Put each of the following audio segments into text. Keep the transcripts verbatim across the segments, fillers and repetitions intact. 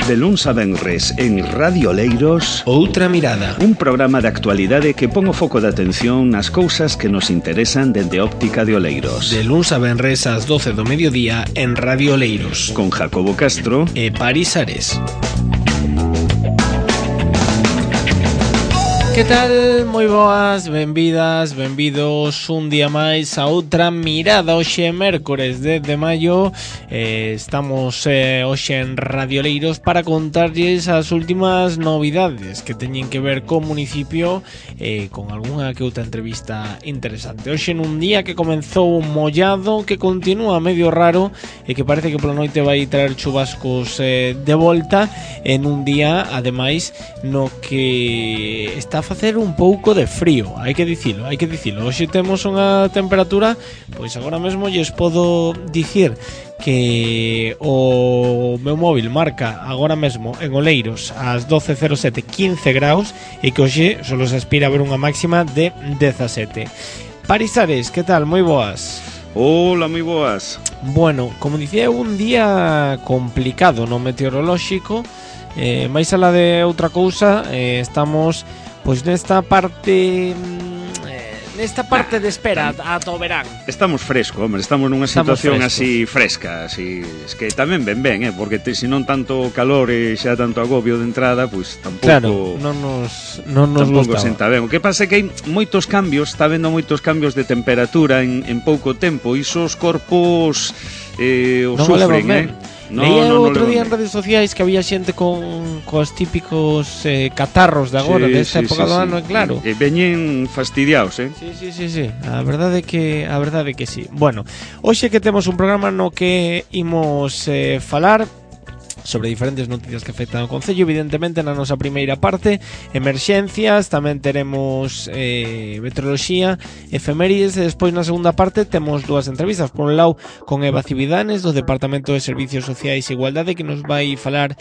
De luns a venres en Radio Oleiros, Outra Mirada, un programa de actualidade que pon o foco de atención nas cousas que nos interesan dende óptica de Oleiros. De luns a venres ás doce do mediodía en Radio Oleiros, con Jacobo Castro e Paris Ares. Que tal? Moi boas, benvidas, benvidos un día máis a Outra Mirada. Hoxe é mércores dez de maio, eh, estamos eh, hoxe en Radio Oleiros para contarlles as últimas novidades que teñen que ver co municipio, eh, con algunha que outra entrevista interesante. Hoxe nun día que comenzou mollado, que continúa medio raro e que parece que pola noite vai traer chubascos eh, de volta, en un día, ademais, no que está a facer un pouco de frío, hai que dicilo, hai que dicilo. Hoxe temos unha temperatura, pois agora mesmo lles podo dicir que o meu móvil marca agora mesmo en Oleiros ás doce cero sete quince graus e que hoxe só se aspira a ver unha máxima de dezasete. Paris Ares, que tal? Moi boas. Hola, moi boas. Bueno, como dicía, un día complicado no meteorolóxico, eh, máis alá de outra cousa, eh, estamos pois nesta parte eh, nesta parte de espera ata o verán. Estamos fresco, hombre, estamos nunha estamos situación frescos. así fresca, así, es que tamén ben ben, eh, porque te, se non tanto calor e xa tanto agobio de entrada, pois tampouco. Claro, non nos non nos tampouco gustaba. senta ben. O que pasa é que hai moitos cambios, está vendo moitos cambios de temperatura en, en pouco tempo, e iso os corpos eh, o non sufren, ben. eh. No, Leía no, no, outro no, día no. en redes sociais que había xente con cos típicos eh, catarros de agora, Sí, desta sí, época sí, do sí. ano, e claro. E veñen fastidiados, eh. Sí, sí, sí, sí. A verdade é que a verdade é que sí. Bueno, hoxe que temos un programa no que imos eh, falar sobre diferentes noticias que afectan ao concello. Evidentemente, na nosa primeira parte, emerxencias, tamén teremos eh, meteoroloxía, efemérides, e despois na segunda parte temos dúas entrevistas. Por un lado, con Eva Cividanes, do Departamento de Servicios Sociais e Igualdade, que nos vai falar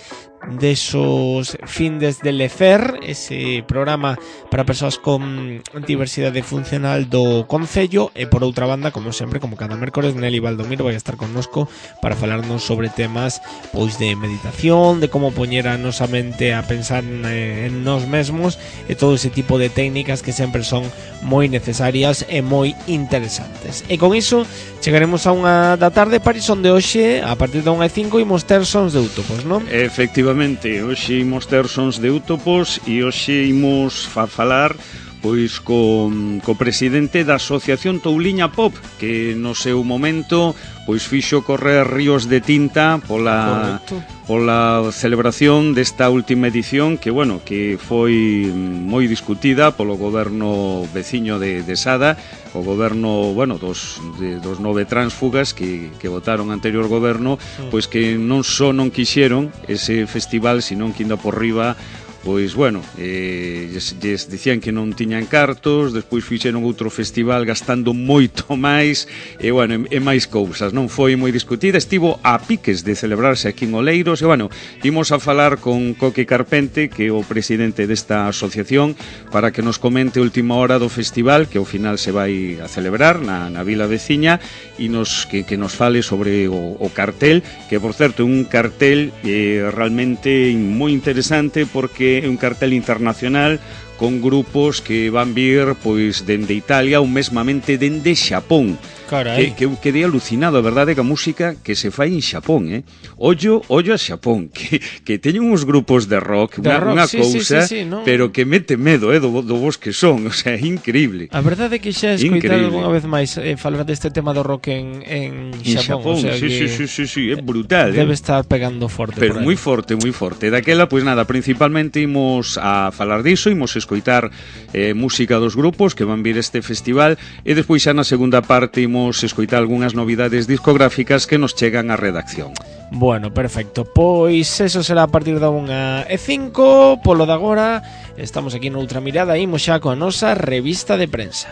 desos findes de Lecer, ese programa para persoas con diversidade funcional do concello. E por outra banda, como sempre, como cada mércores, Nelly Valdomiro vai estar connosco para falarnos sobre temas pois de meditación, de como poñer a nosa mente a pensar en, en nós mesmos, e todo ese tipo de técnicas que sempre son moi necesarias e moi interesantes. E con iso chegaremos a unha da tarde, Paris, onde hoxe a partir da unha e cinco imos ter sons de Útopos, non? Efectivamente, hoxe imos ter sons de Útopos e hoxe imos fa falar pois co, co presidente da Asociación Touliña Pop, que no seu momento pois fixo correr ríos de tinta pola Correcto. pola celebración desta última edición, que bueno, que foi moi discutida polo goberno veciño de, de Sada, o goberno, bueno, dos, de, dos nove tránsfugas que, que votaron anterior goberno, pois que non só non quixeron ese festival, senón que inda por riba, pois, bueno, eh, lles, lles dicían que non tiñan cartos, despois fixeron outro festival gastando moito máis, e, bueno, e, e máis cousas. Non foi moi discutida, estivo a piques de celebrarse aquí en Oleiros, e, bueno, imos a falar con Coque Carpente, que é o presidente desta asociación, para que nos comente a última hora do festival, que ao final se vai a celebrar na, na vila veciña, e nos, que, que nos fale sobre o, o cartel, que, por certo, é un cartel eh, realmente moi interesante, porque é un cartel internacional con grupos que van vir pois dende Italia ou mesmamente dende Xapón. Carai. Que, que eu quedei alucinado, a verdade, que a música que se fai en Xapón, eh? Ollo, ollo a Xapón, que, que teñen uns grupos de rock, de unha, rock, unha sí, cousa, sí, sí, sí, no? pero que mete medo, eh, do, do vos que son, o sea, é increíble. A verdade é que xa escoitar Increíble. algunha vez máis eh, falar deste tema do rock en, en En Xapón, Xapón, o sea sí, que sí, sí, sí, sí, é brutal, debe eh? estar pegando forte. Pero moi forte, moi forte. Daquela, pois nada, principalmente imos a falar diso, imos escoitar eh, música dos grupos que van vir este festival, e despois xa na segunda parte imos escoitar algunhas novidades discográficas que nos chegan á redacción. Bueno, perfecto. Pois eso será a partir da unha e cinco. Polo de agora, estamos aquí noutra mirada, imos xa coa nosa revista de prensa.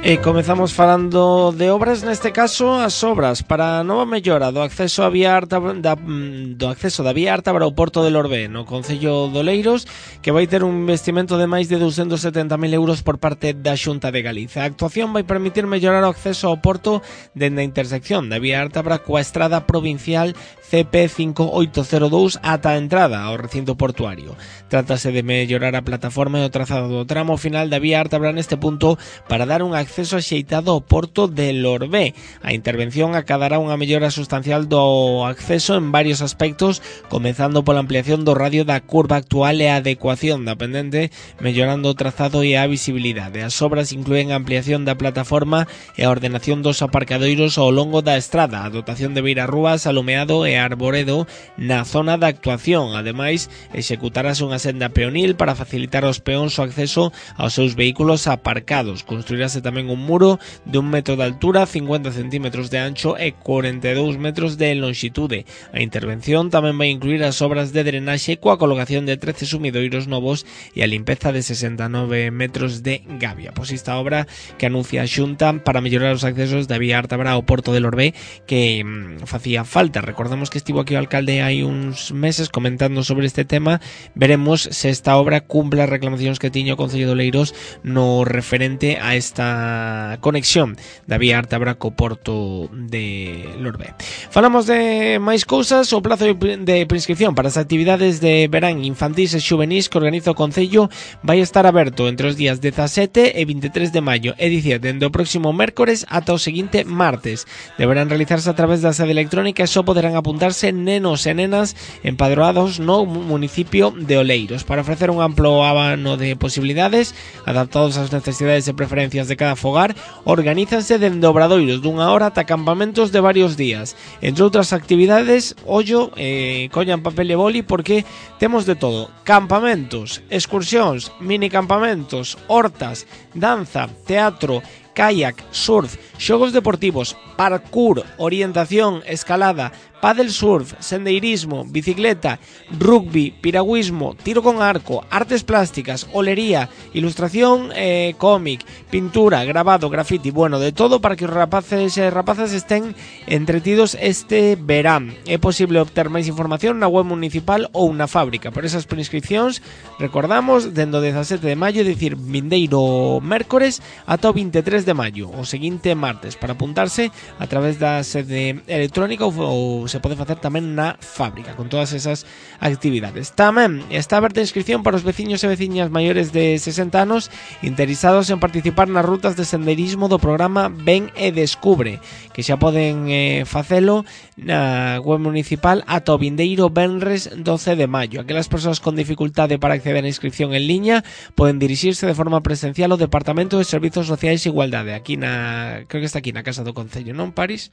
E comezamos falando de obras, neste caso as obras para a nova mellora do acceso a vía Arta, da, do acceso da vía Ártabra ao Porto de Lorbe no concello de Oleiros, que vai ter un investimento de máis de ducentos e setenta mil euros por parte da Xunta de Galicia. A actuación vai permitir mellorar o acceso ao porto dende a intersección da vía Ártabra coa estrada provincial C P cinco oito cero dous ata a entrada ao recinto portuario. Trátase de mellorar a plataforma e o trazado do tramo final da vía Ártabra neste punto para dar un acceso axeitado ao porto de Lorbe. A intervención acadará unha mellora sustancial do acceso en varios aspectos, comezando pola ampliación do radio da curva actual e a adecuación da pendente, mellorando o trazado e a visibilidade. As obras incluen a ampliación da plataforma e a ordenación dos aparcadoiros ao longo da estrada, a dotación de beirarrúas, alumeado e arboredo na zona da actuación. Ademais, executarase unha senda peonil para facilitar aos peóns o acceso aos seus vehículos aparcados. Construirase tamén un muro de un metro de altura, cincuenta centímetros de ancho e cuarenta e dous metros de longitude. A intervención tamén vai incluir as obras de drenaxe coa colocación de trece sumidoiros novos e a limpeza de sesenta e nove metros de gavia. Pois esta obra que anuncia a Xunta para mellorar os accesos da vía Ártabra ao Porto de Lorbe, que mmm, facía falta. Recordamos que estivo aquí o alcalde hai uns meses comentando sobre este tema. Veremos se esta obra cumple as reclamacións que tiña o Concello de Oleiros no referente a esta conexión da vía Ártabra co Porto de Lorbe. Falamos de máis cousas. O plazo de prescripción para as actividades de verán infantís e xuvenís que organiza o Concello vai estar aberto entre os días dezasete e veintitrés de maio, é dicir, dende o próximo mércores ata o seguinte martes. Deberán realizarse a través da sede electrónica e só poderán apuntarse nenos e nenas empadroados no municipio de Oleiros. Para ofrecer un amplo abano de posibilidades adaptados ás necesidades e preferencias de cada fogar, organízanse dende obradoiros dunha hora ata campamentos de varios días. Entre outras actividades, ollo, eh, collan papel e boli porque temos de todo: campamentos, excursións, mini campamentos, hortas, danza, teatro, kayak, surf, xogos deportivos, parkour, orientación, escalada, pádel surf, sendeirismo, bicicleta, rugby, piragüismo, tiro con arco, artes plásticas, olería, ilustración, eh, cómic, pintura, grabado, graffiti, bueno, de todo para que os rapaces e rapazas estén entretidos este verán. É posible obter máis información na web municipal ou na fábrica. Por esas prescripcións, recordamos, dende o dezasete de maio, dicir, vindeiro mércores ata o veintitrés de maio, o seguinte martes. Para apuntarse a través da sede electrónica ou, ou se pode facer tamén na fábrica, con todas esas actividades. Tamén está aberta a inscripción para os veciños e veciñas maiores de sesenta anos interesados en participar nas rutas de senderismo do programa Ven e Descubre, que xa poden eh, facelo na web municipal ata o vindeiro venres doce de maio. Aquelas persoas con dificultade para acceder á inscripción en liña poden dirixirse de forma presencial ao Departamento de Servizos Sociais e Igualdade, aquí na, creo que está aquí na Casa do Concello, non, París?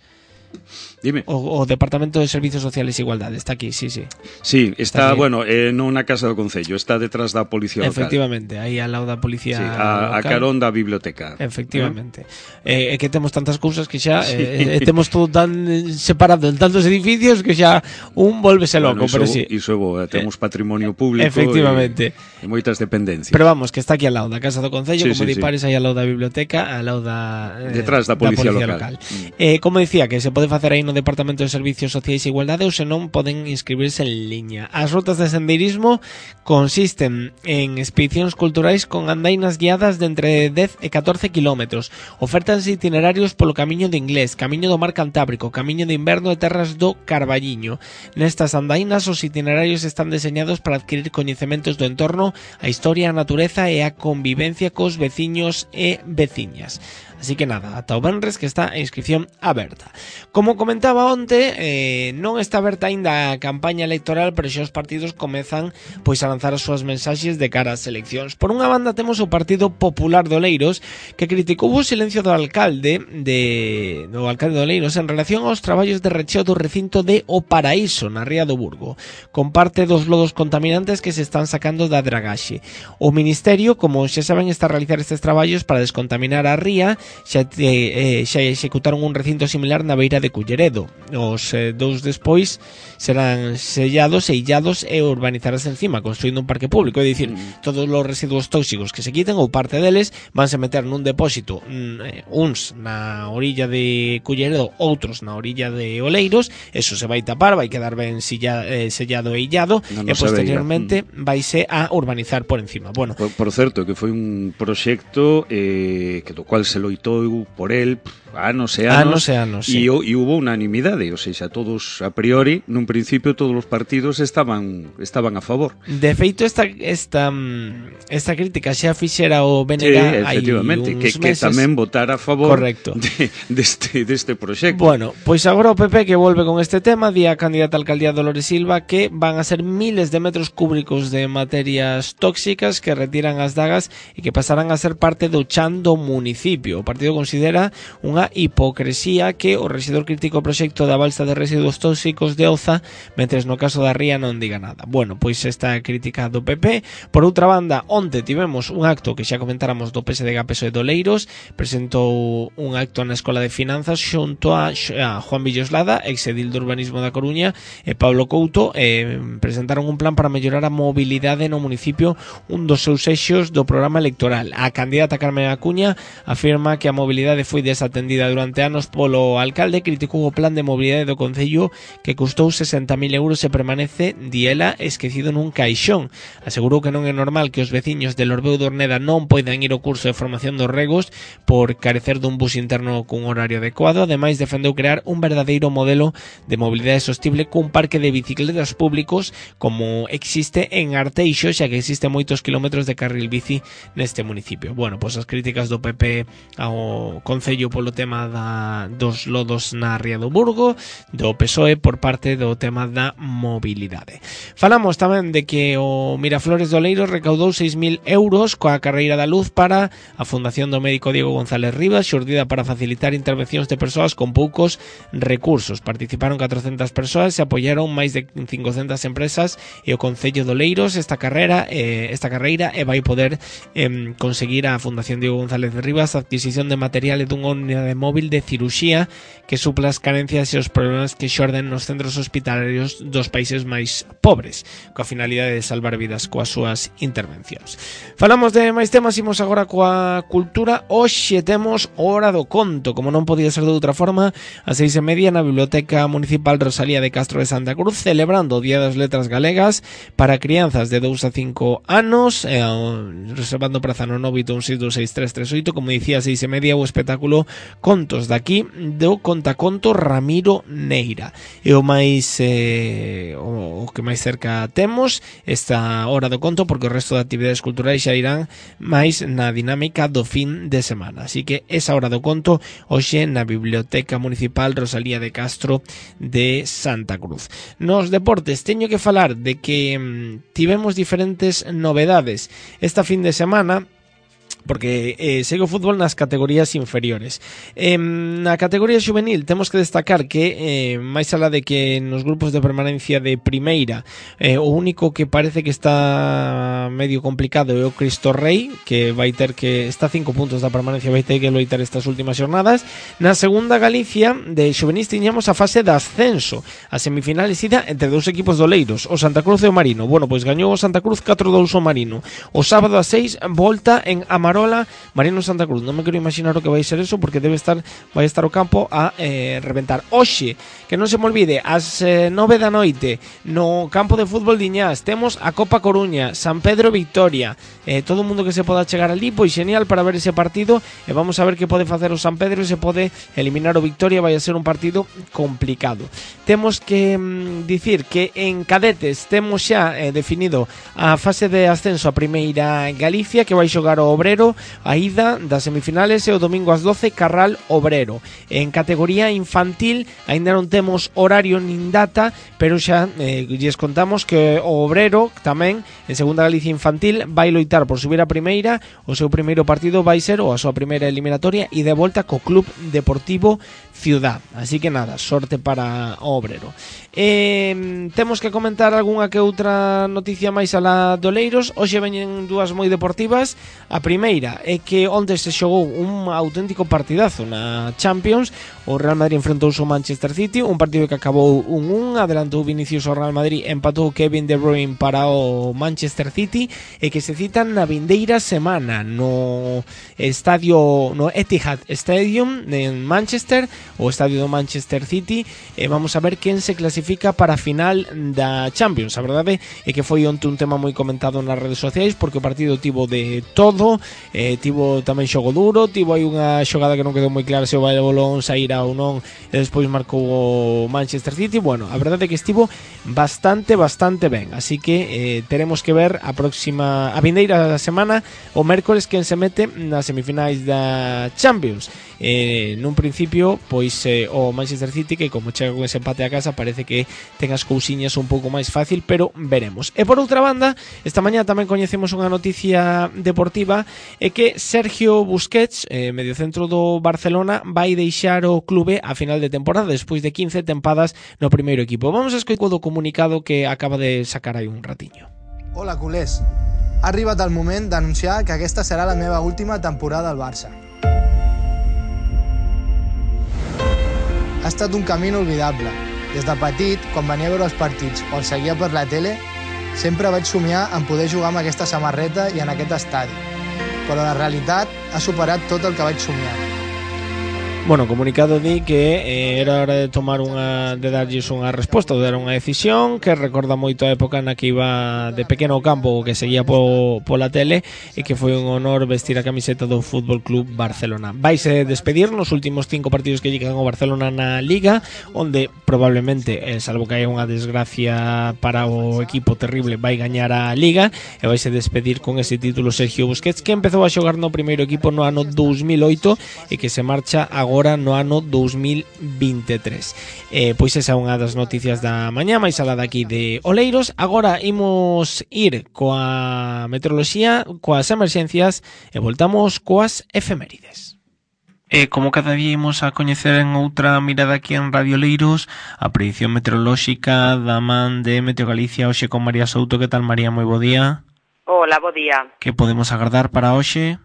Dime. O, o Departamento de Servizos Sociales e Igualdade está aquí, sí, sí. Sí, está, está bueno, eh, non na Casa do Concello, está detrás da Policía Local. Efectivamente, aí ao lado da Policía sí, a, Local. A carón da biblioteca. Efectivamente. É eh, eh, que temos tantas cousas que xa sí. eh, eh, temos todo tan separado en tantos edificios que xa un volvese loco, bueno, iso, pero sí. Iso é bo, temos patrimonio público. Efectivamente. E, e moitas dependencias. Pero vamos, que está aquí ao lado da Casa do Concello, sí, como sí, di Pares, sí. aí ao lado da biblioteca, ao lado da eh, detrás da Policía, da Policía Local. Local. Mm. Eh, como dicía, que se pode facer aí no Departamento de Servicios Sociais e Igualdade ou senón poden inscribirse en liña. As rutas de sendeirismo consisten en expedicións culturais con andainas guiadas de entre dez e catorce kilómetros. Ofertanse itinerarios polo Camiño de Inglés, Camiño do Mar Cantábrico, Camiño de Inverno e Terras do Carballiño. Nestas andainas os itinerarios están deseñados para adquirir coñecementos do entorno, a historia, a natureza e a convivencia cos veciños e veciñas. Así que nada, ata o venres que está a inscripción aberta. Como comentaba onte, eh, non está aberta aínda a campaña electoral, pero xa os partidos comezan pois a lanzar as súas mensaxes de cara ás eleccións. Por unha banda temos o Partido Popular de Oleiros, que criticou o silencio do alcalde de do alcalde de Oleiros en relación aos traballos de recheo do recinto de O Paraíso, na Ría do Burgo, con parte dos lodos contaminantes que se están sacando da dragaxe. O Ministerio, como xa saben, está a realizar estes traballos para descontaminar a ría xa, eh, xa executaron un recinto similar na beira de Culleredo. Os eh, dous despois serán sellados e illados e urbanizarás encima, construindo un parque público. É dicir, mm. todos os residuos tóxicos que se quiten ou parte deles vanse meter nun depósito, mm, uns na orilla de Culleredo, outros na orilla de Oleiros. Eso se vai tapar, vai quedar ben silla, eh, sellado e illado, no, no e posteriormente mm. vaise a urbanizar por encima. Bueno, por, por certo, que foi un proxecto eh, que do cual se loitou por el anos e anos, anos e anos, sí. e, e hubo unanimidade, ou seja, todos a priori, nun principio todos os partidos estaban estaban a favor. De feito, esta esta esta crítica xa fixera o B N G sí, efectivamente, que, que tamén votara a favor correcto. de, deste, deste proxecto. Bueno, pois agora o P P que volve con este tema, di a candidata a alcaldía Dolores Silva que van a ser miles de metros cúbicos de materias tóxicas que retiran as dagas e que pasarán a ser parte do chan do municipio. O partido considera unha hipocresía que o rexedor crítico o proxecto da balsa de residuos tóxicos de Oza, mentres no caso da Ría non diga nada. Bueno, pois esta crítica do P P. Por outra banda, onte tivemos un acto que xa comentáramos do P S D G P S O E de Oleiros, presentou un acto na Escola de Finanzas xunto a, a Juan Villoslada, exedil de Urbanismo da Coruña, e Pablo Couto, eh, presentaron un plan para mellorar a mobilidade no municipio, un dos seus eixos do programa electoral. A candidata Carmen Acuña afirma que a mobilidade foi desatendida durante anos polo alcalde, criticou o plan de mobilidade do concello que custou sesenta mil euros e permanece, diela, esquecido nun caixón. Asegurou que non é normal que os veciños de Lorbeu de Orneda non poidan ir ao curso de formación dos regos por carecer dun bus interno cun horario adecuado. Ademais, defendeu crear un verdadeiro modelo de mobilidade sostible cun parque de bicicletas públicos como existe en Arteixo, xa que existe moitos kilómetros de carril bici neste municipio. Bueno, pois as críticas do P P ao concello polo tema da, dos lodos na Ría do Burgo, do P S O E por parte do tema da mobilidade. Falamos tamén de que o Miraflores de Oleiros recaudou seis mil euros coa carreira da luz para a Fundación do Médico Diego González Rivas, xurdida para facilitar intervencións de persoas con poucos recursos. Participaron catrocentas persoas e apoiaron máis de cincocentas empresas e o Concello de Oleiros esta carreira eh, esta carreira e vai poder eh, conseguir a Fundación Diego González Rivas a adquisición de material e dunha unidade móvil de ciruxía que supla as carencias e os problemas que xorden nos centros hospitalarios dos países máis pobres, coa finalidade de salvar vidas coas súas intervencións. Falamos de máis temas, imos agora coa cultura. Hoxe temos Hora do Conto, como non podía ser de outra forma, a seis e media na Biblioteca Municipal Rosalía de Castro de Santa Cruz, celebrando o Día das Letras Galegas para crianzas de dous a cinco anos, eh, reservando praza no nove oito un seis dous seis tres tres oito, como dicía, a seis e media o espectáculo Contos daqui do contaconto Ramiro Neira. E o máis eh, o, o que máis cerca temos esta Hora do Conto, porque o resto de actividades culturais xa irán máis na dinámica do fin de semana. Así que esa Hora do Conto hoxe na Biblioteca Municipal Rosalía de Castro de Santa Cruz. Nos deportes teño que falar de que mm, tivemos diferentes novedades esta fin de semana, porque eh, segue o fútbol nas categorías inferiores. Eh, na categoría juvenil temos que destacar que eh, máis alá de que nos grupos de permanencia de primeira eh, o único que parece que está medio complicado é o Cristo Rei, que vai ter que está a cinco puntos da permanencia, vai ter que loitar estas últimas xornadas. Na segunda Galicia de juvenis tiñamos a fase de ascenso, a semifinales ida entre dous equipos doleiros, o Santa Cruz e o Marino. Bueno, pois gañou o Santa Cruz catro dous o Marino. O sábado a seis volta en Amarola Marino Santa Cruz. Non me quero imaginar o que vai ser eso, porque debe estar vai estar o campo a eh, reventar. Oxe, que non se me olvide, ás eh, nove da noite no campo de fútbol de Iñás temos a Copa Coruña, San Pedro Victoria. Eh, todo o mundo que se poda chegar ali, pois genial para ver ese partido, e vamos a ver que pode facer o San Pedro, se pode eliminar o Victoria. Vai a ser un partido complicado. Temos que mm, dicir que en cadetes temos xa eh, definido a fase de ascenso a primeira Galicia, que vai xogar o Obrero a ida das semifinales e o domingo ás doce Carral Obrero. En categoría infantil aínda non temos horario nin data, pero xa eh, lles contamos que o Obrero tamén en segunda Galicia infantil vai loitar por subir a primeira. O seu primeiro partido vai ser, ou a súa primeira eliminatoria, e de volta co Club Deportivo Ciudad. Así que nada, sorte para o Obrero. Eh, temos que comentar algunha que outra noticia máis alá do Oleiros. Hoxe veñen dúas moi deportivas. A primeira primeira é que onde se xogou un auténtico partidazo na Champions. O Real Madrid enfrentouse ao Manchester City, un partido que acabou un un, adelantou Vinicius ao Real Madrid, empatou Kevin De Bruyne para o Manchester City, e que se citan na vindeira semana no estadio, no Etihad Stadium en Manchester, o estadio do Manchester City, e vamos a ver quen se clasifica para a final da Champions. A verdade é que foi onte un tema moi comentado nas redes sociais, porque o partido tivo de todo, eh, tivo tamén xogo duro, tivo aí unha xogada que non quedou moi clara se o balón saíra ou non, e despois marcou o Manchester City. Bueno, a verdade é que estivo bastante, bastante ben, así que eh, teremos que ver a próxima, a vindeira semana, o mércoles, quen se mete nas semifinais da Champions. Eh, nun principio, pois eh, o Manchester City, que como chega con ese empate a casa, parece que ten as cousiñas un pouco máis fácil, pero veremos. E por outra banda, esta mañá tamén coñecemos unha noticia deportiva, é que Sergio Busquets, eh, mediocentro do Barcelona, vai deixar o clube a final de temporada despois de quince tempadas no primeiro equipo. Vamos a escoitar o comunicado que acaba de sacar aí un ratiño. Hola, culers. Ha arribat el moment d'anunciar que aquesta serà la meva última temporada al Barça. Ha estat un camí inolvidable. Des de petit, quan venia a veure els partits o els seguia per la tele, sempre vaig somiar en poder jugar amb aquesta samarreta i en aquest estadi. Però la realitat ha superat tot el que vaig somiar. Bueno, o comunicado di que eh, era hora de tomar unha, de darlles unha resposta, de dar unha decisión, que recorda moito a época na que iba de pequeno ao campo, que seguía po, pola tele, e que foi un honor vestir a camiseta do Fútbol Club Barcelona. Vaise despedir nos últimos cinco partidos que lle quedan ao Barcelona na Liga, onde probablemente, eh, salvo que haya unha desgracia para o equipo terrible, vai gañar a Liga, e vaise despedir con ese título Sergio Busquets, que empezou a xogar no primeiro equipo no ano dous mil oito e que se marcha agora agora no ano dous mil veintitrés. Eh, pois esa é unha das noticias da mañá, máis alá daqui de Oleiros. Agora imos ir coa meteoroloxía, coas emerxencias, e voltamos coas efemérides. E como cada día imos a coñecer en outra mirada aquí en Radio Oleiros a predición meteorolóxica da man de Meteo Galicia, hoxe con María Souto. Que tal, María? Moi bo día. Hola, bo día. Que podemos agardar para hoxe?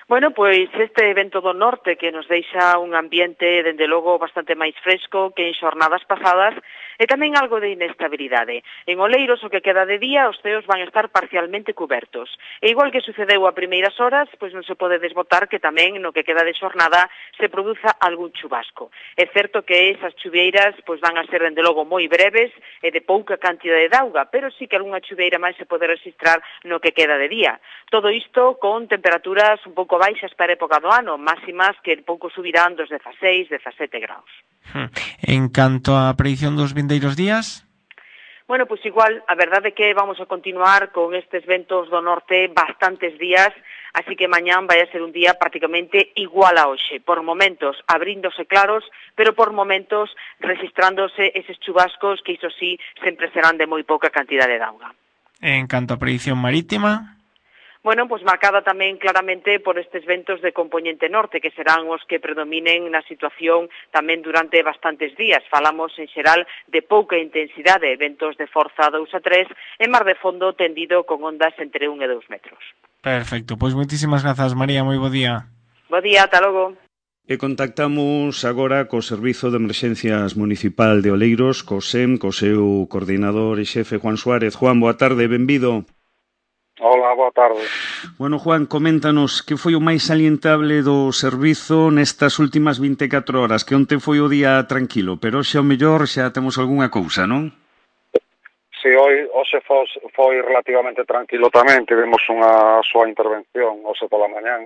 Bueno, pois este vento do norte que nos deixa un ambiente, dende logo, bastante máis fresco que en xornadas pasadas, e tamén algo de inestabilidade. En Oleiros, o que queda de día, os ceos van estar parcialmente cubertos. E igual que sucedeu a primeiras horas, pois non se pode desbotar que tamén no que queda de xornada se produza algún chubasco. É certo que esas chuvieiras pois van a ser, dende logo, moi breves e de pouca cantidade de auga, pero sí que algunha chuvieira máis se pode registrar no que queda de día. Todo isto con temperaturas un pouco baixas para a época do ano, máximas que pouco subirán dos dezaseis, dezasete graus. En canto á predición dos vindeiros días? Bueno, pois igual, a verdade é que vamos a continuar con estes ventos do norte bastantes días, así que mañán vai a ser un día prácticamente igual a hoxe, por momentos abríndose claros, pero por momentos registrándose eses chubascos que iso sí sempre serán de moi pouca cantidade de auga. En canto á predición marítima? Bueno, pois marcada tamén claramente por estes ventos de compoñente norte, que serán os que predominen na situación tamén durante bastantes días. Falamos en xeral de pouca intensidade, ventos de forza dous a tres, e mar de fondo tendido con ondas entre un e dous metros. Perfecto, pois moitísimas grazas, María, moi bo día. Bo día, ata logo. E contactamos agora co Servizo de Emerxencias Municipal de Oleiros, co S E M, co seu coordinador e xefe Juan Suárez. Juan, boa tarde, benvido. Hola, boa tarde. Bueno, Juan, coméntanos que foi o máis salientable do servizo nestas últimas vinte e catro horas, que onte foi o día tranquilo, pero hoxe ao mellor xa temos algunha cousa, non? Si, hoy, hoxe foi, foi relativamente tranquilo tamén, tivemos unha súa intervención hoxe pola mañán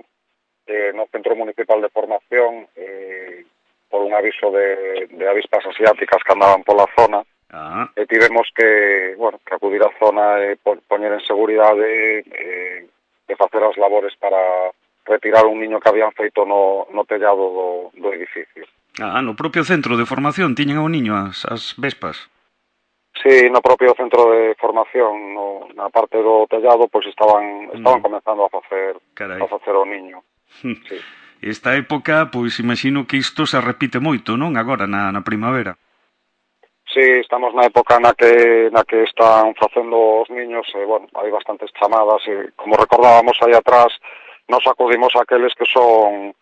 eh, no Centro Municipal de Formación eh, por un aviso de, de avispas asiáticas que andaban pola zona. Ah. E tivemos que, bueno, que acudir á zona e poñer en seguridade e, e facer as labores para retirar un niño que habían feito no, no tellado do, do edificio. Ah, no propio centro de formación tiñen ao niño as, as vespas? Sí, no propio centro de formación, no, na parte do tellado, pois estaban estaban mm. comenzando a facer Carai. a facer o niño. Sí. Esta época, pois imagino que isto se repite moito, non? Agora na, na primavera. Sí, estamos na época na que na que están facendo os niños, e, bueno, hai bastantes chamadas, e como recordábamos aí atrás, nos acudimos a aqueles que son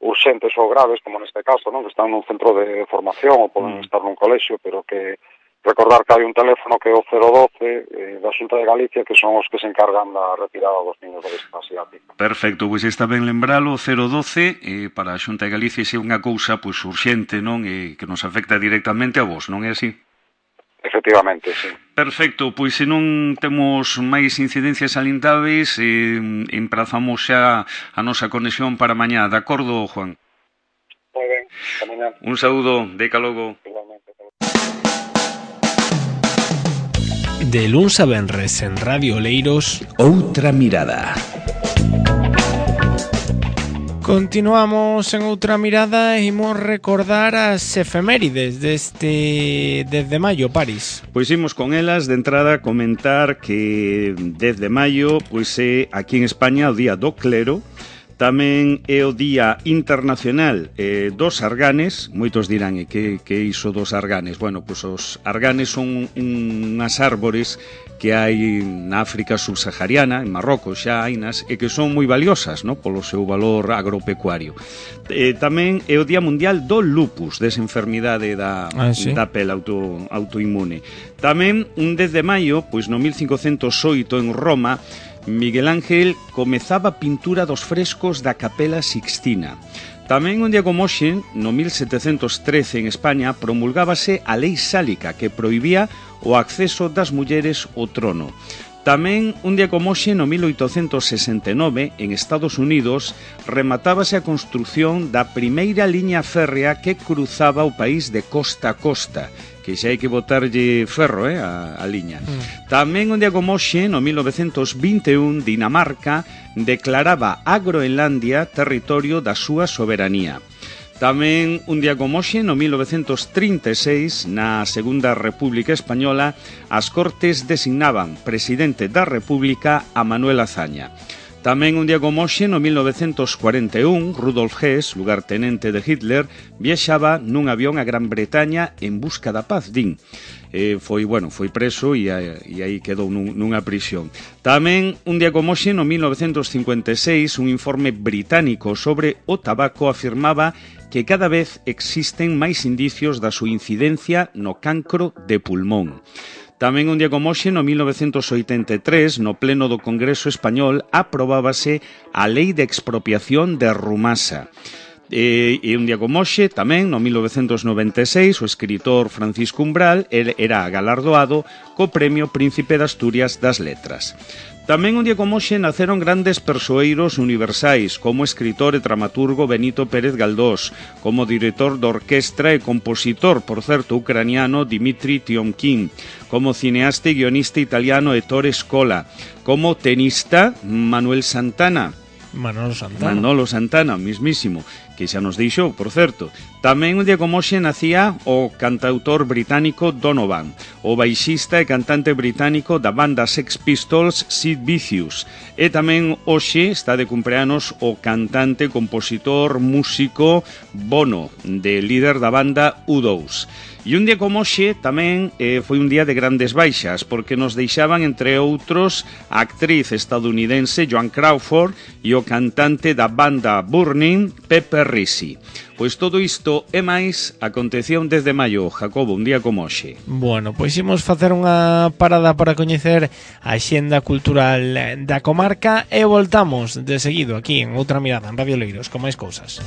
urxentes ou graves, como neste caso, non? Que están nun centro de formación ou poden estar nun colexio, pero que recordar que hai un teléfono que é o cero doce eh, da Xunta de Galicia, que son os que se encargan da retirada dos niños da obesidade asiática. Perfecto, pois está ben lembralo, o cero doce eh, para a Xunta de Galicia é unha cousa pois urxente, non? Eh, que nos afecta directamente a vos, non é así? Efectivamente, sí. Perfecto, pois se non temos máis incidencias salientáveis, eh, emprazamos xa a nosa conexión para mañá, de acordo, Juan? Moi ben, ata mañá. Un saúdo, deca logo. Igualmente. De luns a venres en Radio Oleiros, Outra Mirada. Continuamos en Outra Mirada e imos recordar as efemérides deste dez de maio, Paris. Pois imos con elas, de entrada comentar que dez de maio pois é aquí en España o Día do Clero. Tamén é o Día Internacional eh, dos Arganes. Moitos dirán, e que, que iso dos arganes? Bueno, pois os arganes son unhas árbores que hai na África subsahariana, en Marrocos xa hainas, e que son moi valiosas, no? Polo seu valor agropecuario. Eh, tamén é o Día Mundial do Lupus, desa enfermidade da, ah, sí? da pele auto, autoinmune. Tamén, un dez de maio, pois no mil cincocentos oito en Roma, Miguel Ángel comezaba a pintura dos frescos da Capela Sixtina. Tamén un día como hoxe, no mil setecentos trece en España, promulgábase a Lei Sálica que prohibía o acceso das mulleres ao trono. Tamén un día como hoxe, no mil oitocentos sesenta e nove, en Estados Unidos, rematábase a construción da primeira liña férrea que cruzaba o país de costa a costa, que xa hai que botarlle ferro, eh, a, a liña. Mm. Tamén un día como hoxe, no mil novecentos vinte e un, Dinamarca declaraba a Groenlandia territorio da súa soberanía. Tamén un día como hoxe, no mil novecentos trinta e seis, na Segunda República Española, as Cortes designaban presidente da República a Manuel Azaña. Tamén un día como hoxe, no mil novecentos cuarenta e un, Rudolf Hess, lugartenente de Hitler, viaxaba nun avión a Gran Bretaña en busca da paz, din. Eh, foi, bueno, foi preso e, e aí quedou nun, nunha prisión. Tamén un día como hoxe, no mil novecentos cincuenta e seis, un informe británico sobre o tabaco afirmaba que cada vez existen máis indicios da súa incidencia no cancro de pulmón. Tamén un día como hoxe, no mil novecentos oitenta e tres, no pleno do Congreso Español, aprobábase a Lei de Expropiación de Rumasa. E, e un día como hoxe, tamén, no mil novecentos noventa e seis, o escritor Francisco Umbral era galardoado co Premio Príncipe de Asturias das Letras. Tamén un día como hoxe naceron grandes persoeiros universais, como o escritor e dramaturgo Benito Pérez Galdós, como director de orquestra e compositor, por certo, ucraniano Dmitri Tiomkin, como cineasta e guionista italiano Ettore Scola, como tenista Manuel Santana, Manolo Santana. Manolo Santana, mismísimo, que xa nos deixou, por certo. Tamén un día como hoxe nacía o cantautor británico Donovan, o baixista e cantante británico da banda Sex Pistols Sid Vicious. E tamén hoxe está de cumpleanos o cantante, compositor, músico Bono, de líder da banda U dous. E un día como hoxe tamén eh, foi un día de grandes baixas, porque nos deixaban, entre outros, a actriz estadounidense Joan Crawford e o cantante da banda Burning, Pepe Risi. Pois todo isto e máis aconteceu un dez de maio, Jacobo, un día como hoxe. Bueno, pois imos facer unha parada para coñecer a xenda cultural da comarca e voltamos de seguido aquí en Outra Mirada en Radio Oleiros con máis cousas.